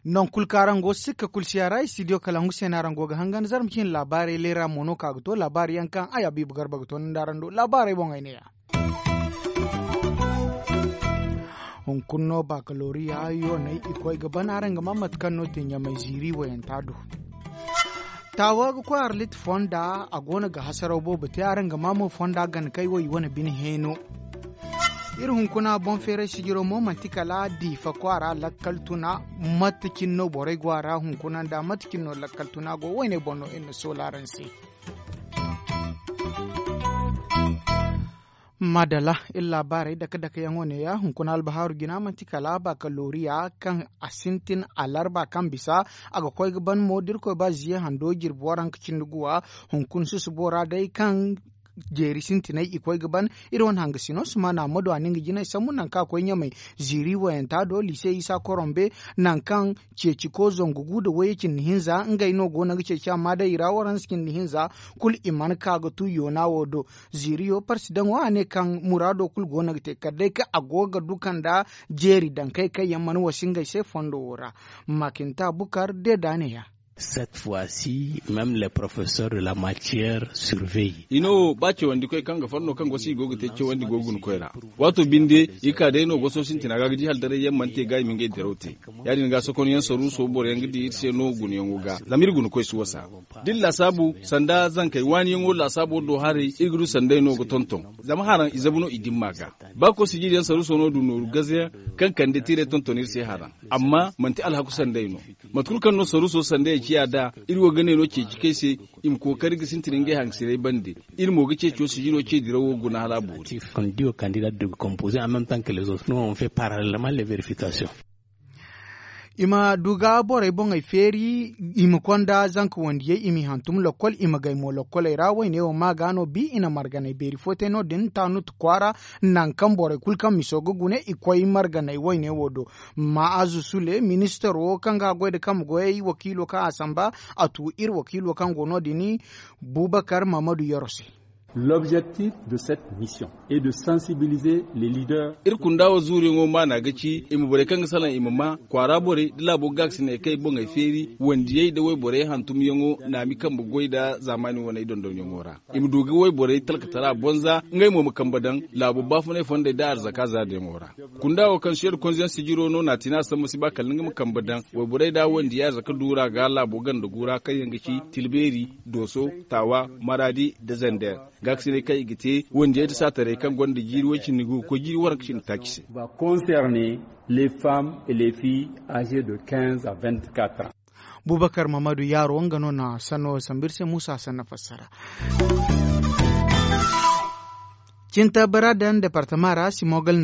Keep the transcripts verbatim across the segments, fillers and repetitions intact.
Nangu kulu kaŋ araŋ go sikka kulu siya ra istidiyo kala ngu se no araŋ go ga hangan zarma cine laabaarey leera mo no ka ga to laabaari yaŋ kaŋ ay abiibu garba ga to ni nda araŋ do laabaarey boŋey neeya. Hunkuna no bakaloriya yooney i koy ga ban araŋ ga maa mate kaŋ no te ɲamay ziiri wayanta do. Taawa ga koy arlit fonda a go no ga hasaraw boobo te araŋ ga maa mo fonda gana kay wo i wane bine heeno. Iri hunkuna boŋ feeray sijiro mo manti kala diifa kwaara lakkal tuna. Mate cine no borey go a ra hunkuna nda mate cine no lakkal tuna go woyne boŋ no iri na soola araŋ se. Madala iri laabaarey dake dake yaŋo neeya hunkuna albahaaru jina manti kala bakaloriya kaŋ a sintin alarba kaŋ bisa a ga koy ga ban mo da iri koy ba ziye hando jirbi waranka cindi guwa. Hunkuna susubo ra day kaŋ jeeri sintinay i koy ga ban iri wane hangasino sumana ma du a na nga jinay sambu nangu kaŋ a koy ɲamay ziiri wayanta do liise isa korombe nangu kaŋ ceeci ko zangu gu nda wayye cindi hinza ngey no go no ga ceeci amma day i ra waransa cindi hinza kulu i mana ka ga tu yoona wo do. Ziiriyo parsidaŋo a ne kaŋ muraado kulu go no ga te kala day kaŋ a go ga du kanda jeeri dankey kaŋ yaŋ mana wasi ngey se fondo wo ra. Makinta bukar deeda neeya. Cette fois ci même les professeurs de la matière surveillent. I no ba cawandi koy kaŋ ga farno kaŋ gosi i go ga te cawandi go guna koy ra. Waato binde i ka day no goso sintina ga ga di haldaray yaŋ mana te ga i ma ngey diraw te. Ya- din ga sokonyaŋ saruuso boro yaŋ ga di iri se no gunayaŋo ga zama iri guna koy si wasa. Da iri laasaabu sanda zankey waaniyaŋo laasaabo do haray iri ga du sanday no ga tonton. Zama haraŋ i zabu no i dimma ga ba koy sijiriyaŋ saruuso no du nooru gazeyaŋ kaŋ kande tiiray tonton iri se haraŋ. Amma manti alhaku sanday no. Mate kulu kaŋ no saruuso sanday ciya nd'a iri wo ga ne no ceeci kay se. I ma kookari ga sintin ngey hangasinay bande. Iri mo ga ceeco sijiro ce dirawo guna hala a boori. Kondida kandida de ga kompoze en même temps que les autres no on fait parallèlement les verification. I ma du ga borey boŋey feeri i ma konda zanka wandiyey i m'i hantum lokkol i ma gay mo lokkoley ra woyne wo ma ga no bi i na marganey beeri fo te no- din taanut kwaara. Nangu kaŋ borey kulu kaŋ miso ga gune i koy marganey woyne wo do. Ma'azu sule ministaro kaŋ ga a goy nda kambe goyey wakiilo kaŋ a samba a tu iri wakiilo kaŋ go no- din. Bubakar mahamadu yaro se. L'objectif de cette mission est de sensibiliser les leaders. Iri kunda wo zuuriyaŋo maana ga ci i ma borey kaŋ ga salaŋ i ma maa kwaara borey da laabo gaakasiney kaŋ i boŋey feeri wandiyey nda wayborey hantumyaŋo naami kambe goy nda zaamaani waney dondonyaŋo ra. I ma du ga wayborey talkatara bonza ngey mo ma kambe daŋ laabo baafunay fondey nda arzaka zaariyaŋo ra. Kunda wo kaŋ seedu konzeyaŋ sijiro no naatina sambu si ba kala nga ma kambe daŋ wayborey nda wandiya arzaka duura ga laabo ganda guura kaŋ yaŋ ga ci tilbeeri, dooso, taawa, maraadi nda zander. Gaakasiney kaŋ i ga te wandiyey nda saataray kaŋ gonda jiiri way-cindi ga koy jiiri waranka cindi taaci se. Va concerner les femmes et les filles âgées de quinze à vingt-quatre ans. Bubakar mahamadu yaaro nga no na sanno sambu iri se muusa sanna fassara. Cinta bara daŋ departama ra simogal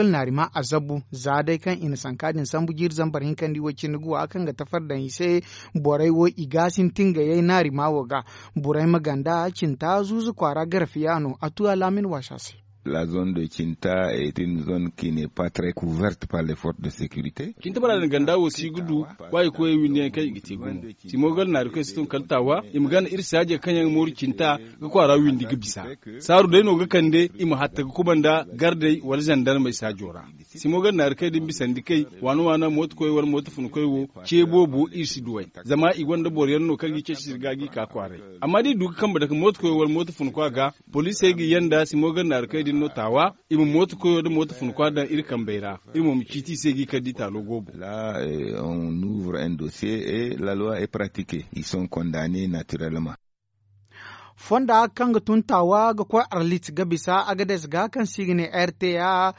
naarima a zabu za day kaŋ i na sanka din sambu jiiri zambar hinkandi way cindi guwa kaŋ ga tafar daŋ i se. Borey wo i ga sintin ga yay naarima wo ga. Borey ma ganda cinta zuuzu kwaara garfiya no a tu alaamin waasa se. La zone de cinta est une zone qui n'est pas très couverte par les forces de sécurité. Cinta bara din ganda wo si ga du ba i koyey windiyaŋ kaŋ i ga te gumo. Simogal naari kaŋ si tun kala taawa i ma gana iri saaje kaŋ yaŋ mooru cinta ga kwaara windi ga bisa. Saaru day no ga kande i ma hatta ga kubanda gardey wala zandarmey saajo ra. Simogal naari kaŋ din bisandi kay waana waana mooto koy wala mooto funa koy wo ce boobo iri si duw'ey. Zama i gonda boroyaŋ no kaŋ ga i ceeci sirga ga i ka kwaaray. Amma da i du ga kambe dake mooto koy wala mooto funa koy a ga poliisey ga yanda simogal naari kaŋ din no taawa. I ma mooto koyo nda mooto funa koy a daŋ iri kambey ra. Iri mo ma ciiti i se ga i kar da i taalo goobo. La on ouvre un dossier et la loi est pratiquée ils sont condamnés naturellement. Fonda kaŋ ga tun taawa ga koy arlit ga bisa agades ga kaŋ se i ga ne rta.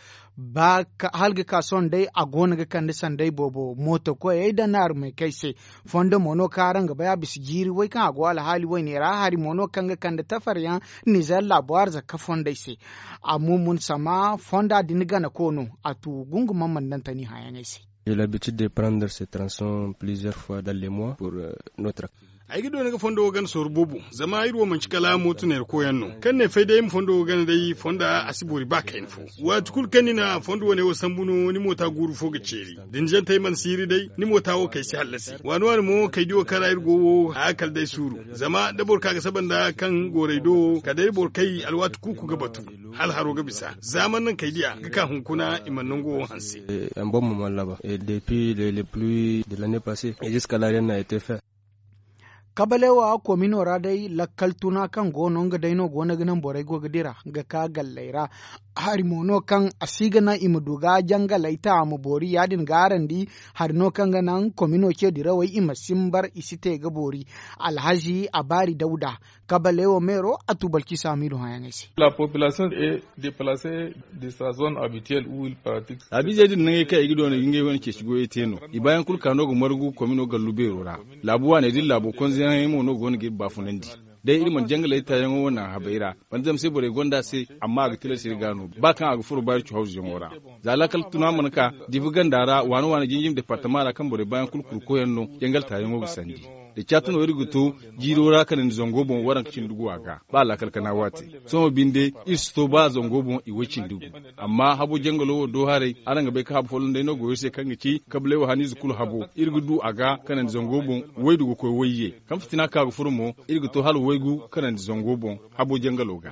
Hala ga ka sohõ day a go no ga kande sanday boobo mooto koyey nda naarumey kay se. Fondo mo no kaŋ araŋ ga bay a bisa jiiri way kaŋ a go alhaali wayne ra hari mo no kaŋ ga kande tafaryaŋ nizer laabo arzaka fondey se. A mumun sama fonda din gana ko no a tu gungumaŋ mana daŋ tani hayaŋey se. J'ai l'habitude de prendre ces tronçons plusieurs fois dans les mois pour notre. Ay ga doona ga fondo wo gana sorro boobo zama iri wo manci kala mooto neera koyaŋ no kaŋ ne fay day ma fondo wo gana day fonda a si boori ba kayna fo. Waati kulu kaŋ ni na fondo wane wo sambu no ni moota guuru fo ga ceeri da ni zantey mana siiri day ni moota wo kay si hallasi waani waani mo kay di wo kaŋ ra iri go wo haya kala day suuru. Zama da boro ka ga saba nda kaŋ gooray do wo kala day boro kay alwaati kuuku ga batu hala haro ga bisa za mana naŋ kay diya ga ka hunkuna i mana nango wo hanse. Emboŋ mo mana laba depuis le pluis de l'année passée et jusque là rien n'a été fait. Kabalewa komino ra day lakkal tuna kaŋ go no nga day no go no ga naŋ borey go ga dira ga ka galley ra. Hari mo no kaŋ a si ga naŋ i ma du ga jangaley ta a ma boori ya- din ga araŋ di. Hari no kaŋ ga naŋ komino ce dirawey i ma simbar i si te ga boori. Alhazi a baari dawda kabalewa meero a tu balki saamiidu hããyaŋey se. La population est déplacée de sa zone habituelle où il pratique. Laabiizey din nangey kaŋ i ga doona ga ngey wane ceeci goyey te no. I baayaŋ kulu ka no ga margu komino gallu beero ra. Laabu waaney din laabo konzeyaŋey mo no go no ga iri baafunandi. Day iri mana jangaley taayaŋo wane habey ra. Banda zama se borey gonda se amma a ga tilas iri ga no ba kaŋ a ga furo baari cu hawzuyaŋo ra. Za laakal tuna mana ka difu ganda ra waane waane jinjim departama ra kaŋ borey baayaŋ kulu kuru koyyaŋ no jangal taayaŋo ga sandi. Da caati no iri ga to jiiro ra kanandi zango boŋ waranka cindi gu a ga ba laakal kana waate. Sohõ binde iri si to ba zango boŋ i way cindi gu. Amma habo jangalo wo do haray araŋ ga bay ka habo folloŋ day no go iri se kaŋ ga ci kablay wo haniize kulu habo iri ga du a ga kanandi zango boŋ. Waydu ga koy wayye kaŋ fitina ka ga furo mo iri ga to hala waygu kanandi zango boŋ. Habo jangalo ga.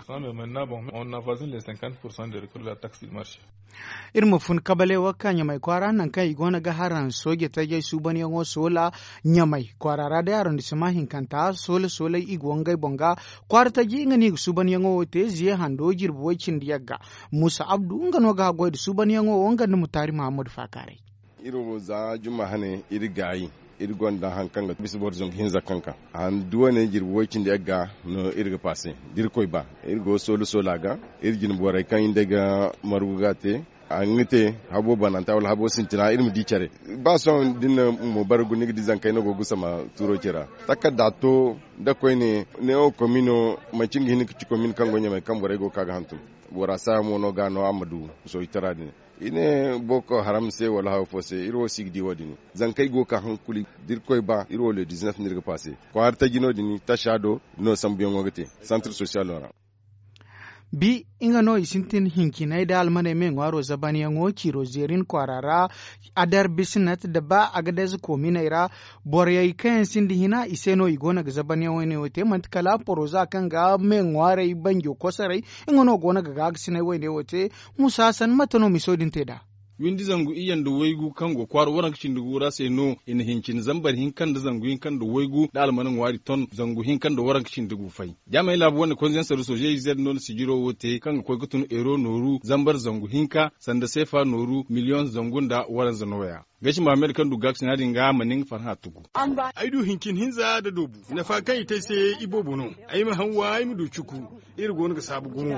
Iri ma fun kabale wo ka ɲamay kwaara nangu kaŋ i go no ga haraŋ sooje tajey suubanyaŋo soola ɲamay kwaara ra day arondisima hinkanta soola soolay i go ngey boŋ ga. Kwaara taji nga no i ga suubanyaŋo wo te ziye hando jirbi way- cindi yagga. Muusa abdu nga no ga haggoy nda suubanyaŋo wo nga nda mutaari muhammadu faakaaray. Iri wo za jumma hane iri gaayi. Iri gonda hari kaŋ ga bisa boro zangu hinza kaŋ ka handu wane jirbi way- cindi yagga no iri ga paase da iri koy ba iri go soola soola ga. Iri jine borey kaŋ iri day ga margu ga te a ga nga te habo bananta wala habo sintina iri ma di care. Ba sohõ da ni na mo bargu ni ga di zankey no go ga gusama tuuro ce ra. Takarda to da koyne neewo komino manci nga hin ga ci komino kaŋ go ɲamay kaŋ borey go ga ka ga hantum. Bora saaya mo no ga no a ma du sohitara din. I ne boko haram se wala haw fo se iri wo si ga di wo- din. Zankey go ga ka hankuli da iri koy ba iri wo le dizinef no iri ga paase kwaara taji no- din tasa do no sambuyaŋo ga te santir sosiyalo ra. Bi nga no i sintin hincinay da almaney me ŋwaaro zabanyaŋo ciiro zeerin kwaara ra. Adar bisinat da ba agadez koominey ra. Borey kaŋ yaŋ sinda hina i se no i go no ga zabanyaŋ wane wo te manti kala poroza kaŋ ga me ŋwaarey banjo kosoray. Nga no go no ga gaagasinay wane wo te. Musa hasan mate no miso din te nd'a? Windi zangu iyye nda waygu kaŋ go kwaara waranka cindi gu ra se no i na hincin zambar hinka nda zangu hinka nda waygu nda almana ŋwaari ton zangu hinka nda waranka cindi gu fay. Jaamey laabu wane konzensar soozey zed no na sijiro wo te kaŋ ga koy ga tun euro nooru zambar zangu hinka sanda seefa nooru miliyoŋ zangu nda waranza nooya. Gasi mahamed kaŋ du gaakasina din ga ma nin farhã tugu. Ay du hincin hinza nda doobu nafa kaŋ i te ay se iboobo no. Ay ma haŋ wa ay ma du cuku. Iri go no ga saabu gumo.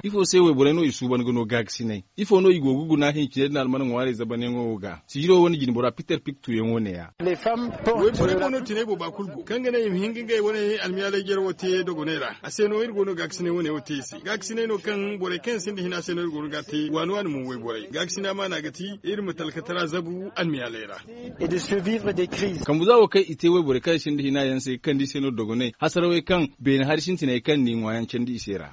Ifo se wayborey no i suuban ga no gaagasinay? Ifo no i go ga guna hinciney din almana ŋwaarey zabanyaŋo wo ga sijiro wane jinbora piter pik tuyaŋo neeya. Wayborey mo no tinay booba kulu go kaŋ ga ne i ma hin ga ngey wane almiyaalay jare wo te dogoney ra a se no iri go no gaagasinay wane wo te i se gaagasinay no kaŋ borey kaŋ yaŋ sinda hina se no iri go no ga a te waani waani mo wayborey gaagasina maana ga ti iri ma talkatara zabu almiyaaley ra. Kambu za wo kaŋ i te wayborey kaŋ yaŋ sinda hina yaŋ se ga kande i se no dogoney hasarawey kaŋ beene hari sintiney kaŋ n'i ŋwaayaŋ candi i se ra.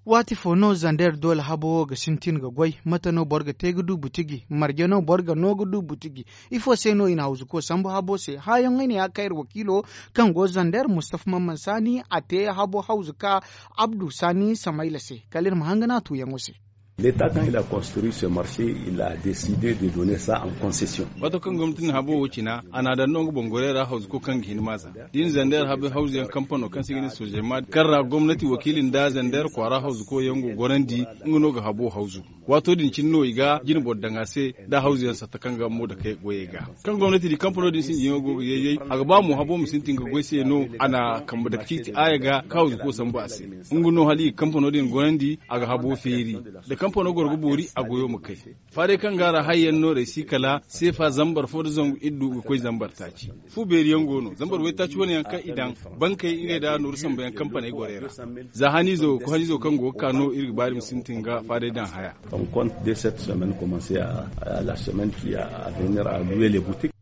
Waati fo no zander doole habo wo ga sintin ga goy? Mate no boro ga te ga du butiji marje no boro ga no ga du butiji? Ifo se no i na hawzuko sambu habo se haayaŋey ne ya kayra wakiilo kaŋ go zander mustafa mamman saani a te habo hawzuka abdu saani samayla se kala iri ma hangana tuuyaŋo se. Leta kaŋ il a construit se marse il a deside de donner sa en concession. Waato kaŋ gomnati na habo wo cina a n'a daŋ no nga boŋ gorey ra hawzuko kaŋ ga hin maaza da i na zander habo hawzuyaŋ kampano kaŋ se ga ne sojema kaŋ ra gomnati wakiili nda zander kwaara hawzuko yaŋ go gorandi. Nga no ga habo hawzu waato din cine no i ga jine boro daŋ a se nda hawzuyaŋ satta kaŋ ga mo dakey goyey ga. Kaŋ gomnati di kampano din sinjiyaŋo go ga yayyay a ga ba mo habo ma sintin ga goy se no a na kambe dake ciiti aaya ga ka hawzuko sambu a se. Nga no hala i ga kampano din gorandi a ga habo feeri. Da kampano goro ga boori a goyo ma kay. Faaray kaŋ ga a ra hayyaŋ no raysi kala seefa zambar fo nda zangu iddu ga koy zambar taaci. Fu beeri yaŋ go no zambar waytaaci wane yaŋ kaŋ i daŋ bankey ngey nda nooru sambu yaŋ kampaney gorey ra. Za haniizo ko haniizo kaŋ go ga ka no iri ga ba iri ma sintin ga faaray daŋ haya. Ton konte de cette semaine commence a la semaine ki a venir a luwe le boutique.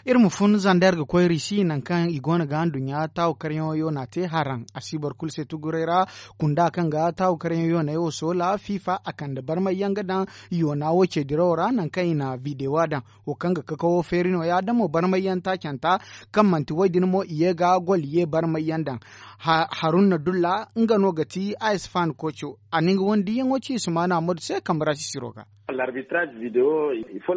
Iri ma fun zandar ga koy risi nangu kaŋ i go no ga nduɲɲa taawu karyaŋo yoona te haraŋ a si boro kulu se tuguray ra. Kunda kaŋ ga taawu karyaŋo yooney wo soola fifa a kande barmay yaŋ ga daŋ yoona wo ce dirawo ra nangu kaŋ i na videwo daŋ. Wo kaŋ ga kakawo feeri no- ya da mo barmay yaŋ taacanta kaŋ manti wo- din mo i ye ga gol ye barmay yaŋ daŋ. Haruna dulla nga no ga ti a isfan kooco a na nga wane diiyaŋo ci sumaana madu se kambe ra sisiro ga.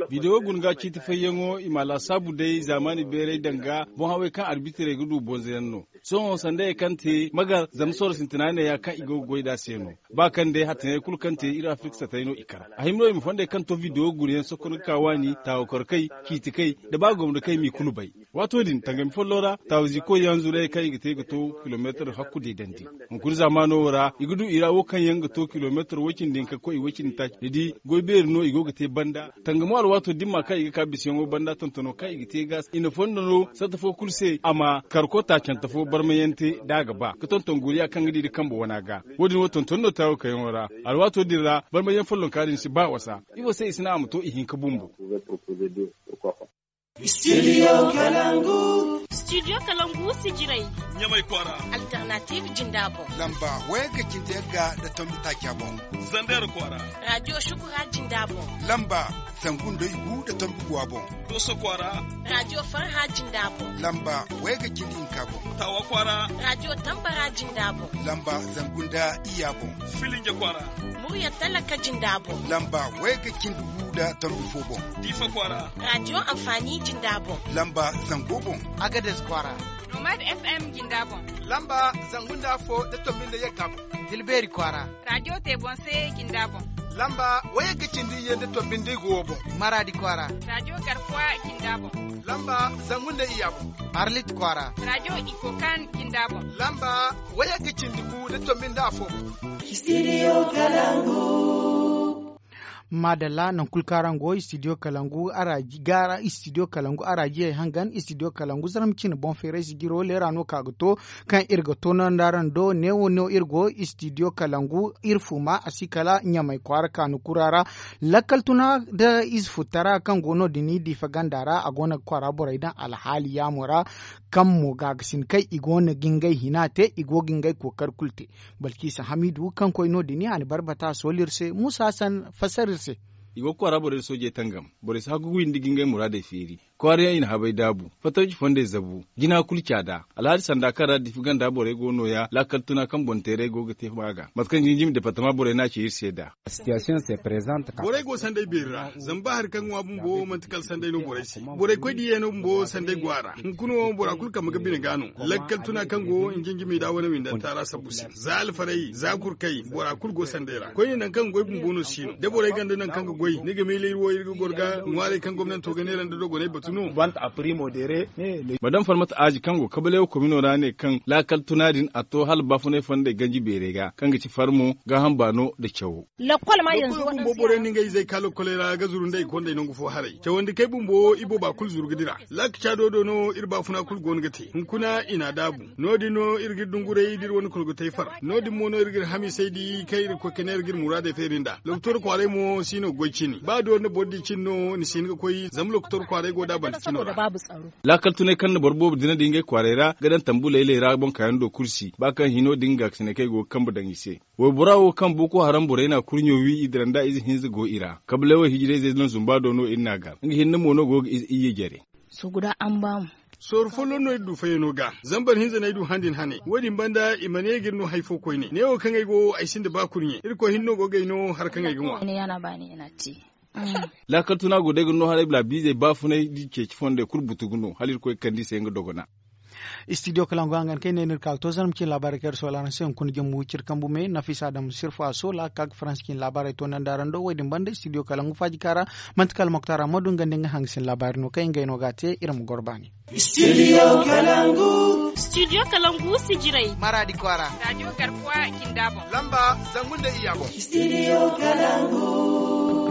Videwo guna ga ciiti fayyaŋo i ma a laasaabu day zaamaani beeray danga boŋ hawey kaŋ arbitirey ga du bonza yaŋ no. Sohõ sanda ye kaŋ te magar zama sorro sintina neeya kaŋ i go ga goy nd'a se no. Ba kaŋ day hattaŋey kulu kaŋ te iri afirka satay no i kar. A hima no i ma fondey kaŋ to videwo guna yaŋ sokon ga ka waani taawakorkey ciitikey nda ba gomnakey m'i kulu bay. Waato din tangami follo ra taawaziikoy yaŋ zurayey kaŋ i ga te ga to kilomeetar hakku deedandi. Hunkuna zaamaano wo ra i ga du i ra wo kaŋ yaŋ ga to kilomeetar way-cindi hinka koy way-cindi taaci ni di goy beeri no i go ga te banda. Tangamo alwaato dimma kaŋ i ga ka bisayaŋo banda tontono kaŋ i ga te ga i na fondo no satta fo kulu se a ma karko taacante fo barmayaŋ te da a ga ba ga tonton guriya kaŋ ga di nda kambe wana ga. Wo- din wo tonton no taawo kayaŋo ra. Alwaato din ra barmayaŋ follonka din si ba wasa. Ifo se i si naŋ a ma to ihinka bumbo? Studio kalangu. Studio kalangu sijirey. Ɲamay kwaara. Alternative jinda boŋ. Lamba wayga cindi yagga nda tombi taaca boŋ. Zander kwaara. Radio shukura jinda boŋ. Lamba zangu nda igu nda tombi guwa boŋ. Doso kwaara. Radio farha jinda boŋ. Lamba wayga cindi hinka boŋ. Tawa kwaara. Radio tambara jinda boŋ. Lamba zangu nda iyya boŋ. Filinja kwaara. Murya talaka jinda boŋ. Lamba wayga cindi gu nda tombi fo boŋ. Diifa kwaara. Radio amfani jinda boŋ. Lamba zango boŋ. Agades kwaara. Nomad fm jinda boŋ. Lamba zangu nda afo nda tombi nda yagga boŋ. Tilbeeri kwaara. Radio te boŋ se jinda boŋ. Lamba wayagga cindi iyye nda tombi nda igu wo boŋ. Maraadi kwaara. Radio garkuwa jinda boŋ. Lamba zangu nda iyya boŋ. Arlit kwaara. Radio ikokan jinda boŋ. Lamba wayagga cindi gu nda tombi nda afo boŋ. Studio kalangu. Maadalla nangu kulu kaŋ araŋ go studio kalangu araji gaara studio kalangu araji yay hangan studio kalangu zarma cine boŋ feeray sijiro leera no ka ga to. Kaŋ iri ga to no nda araŋ do neewo no iri go studio kalangu iri fuma a si kala ɲamay kwaara kaanu kura ra. Lakkal tuna nda ize futtara kaŋ go no- din diifa ganda ra a go no ga kwaara borey daŋ alhaali yaamo ra. Kaŋ mo gaagasin kaŋ i go no ga ngey hina te i go ga ngey kookari kulu te. Balkisa hamidu kaŋ koy no- din a na barbata sooli iri se muusa hassan fassara iri se. I go ga kwaara borey da soojey tangam. Borey si hakku ga windi ga ngey muraadey feeri. Kwaara yaŋ i na habey daabu. Fatawci fondey zabu. Jina kulu caada alhaali sanda kaŋ ra diifa ganda borey go nooya laakal tuna kaŋ boŋ teeray go ga te maaga mate kaŋ jinjimi departama borey no a ci iri se nd'a. Borey go sanday beeri ra zama ba hari kaŋ ga ŋwa bumbo manti kala sanday no borey se. Borey koy diiyaŋ no bumbo sanday go a ra. Hunkuna wo bora kulu kambe ga bine ga no. Lakkal tuna kaŋ go nginjimi nda wane windanta ra sabbu se za alfarey za kurkey bora kulu go sanday ra koyne nangu kaŋ ga goy bumbo no si no da borey ganda nangu kaŋ ga goy ni ga miila iri wo iri ga goro ga ŋwaarey kaŋ gomnanto ga neera nda dogoney batu no. Madam farmata aazi kaŋ go kabalay wo komino ra ne kaŋ laakal tuna din a to hala baafunay fondey ganji beerey ga kaŋ ga ci farmo gaaham baano nda cawo. Lakkol bumbo borey na ngey izey ka lakkoley ra ga zuru nda i kondey nangu fo haray cawandi kay bumbo ibooba kulu zuru ga dira. Laaka caado do no iri baafuna kulu go no ga te hunkuna i n'a daabu. No- din no iri ga iri dunguray da iri wane kolgotey far. No- din mo no iri ga iri hamiisey di kaŋ iri ga koy ka ne iri ga iri muraadey feeri nd'a lokotor kwaaray mo si no ga goy cine ba doori nda boro di cine no ni si hin ga koy zama lokotor kwaaray go da a banda cino ra. Laakal tunay kaŋ na boro boobo dina da ngey kwaaray ra ga daŋ tambu laylay ra boŋ kaayaŋ do kulu si ba kaŋ hino da nga gaasinay kaŋ i go ga kambe daŋ i se. Waybora wo kaŋ boko haram borey n'a kurɲo wi i dira nd'a ize hinza go i ra kablay wo hijirayzey no zumba do no iri n'a gar nga hinne mo no go ga ize iyye jare. Sooru folloŋ no iri du fayyano ga zama boro hinza no ay du han din hane wo- din banda i mana ye ga iri no hari fo koyne neewo kaŋ ay go ay sinda ba kurɲe irkoy hinne no go ga ay no hari kaŋ ay ga ŋwa. Laakal tuna go day ga no haray bala biizey baafunay da i ceeci fondey kulu butu ga no hala irkoy ga kande i se nga dogona. Studio kalangu hangan kaŋ ay ne no iri ka ga to zarma cine laabaarey kaŋ iri soola araŋ se hunkuna jama wiciri kambu me nafisa adama sirfa soola ka ga faransa cine laabaarey to nanda araŋ do wo- din banda studio kalangu faaji kaara. Manti kala moktar ammadu nga nda nga hangasin laabaari no kaŋ ngey no ga a te iri ma goro baani. Studio kalangu. Studio kalangu sijirey. Maraadi kwaara. Radio garkuwa kinda boŋ. Lamba zangu nda iyya boŋ. Studio kalangu.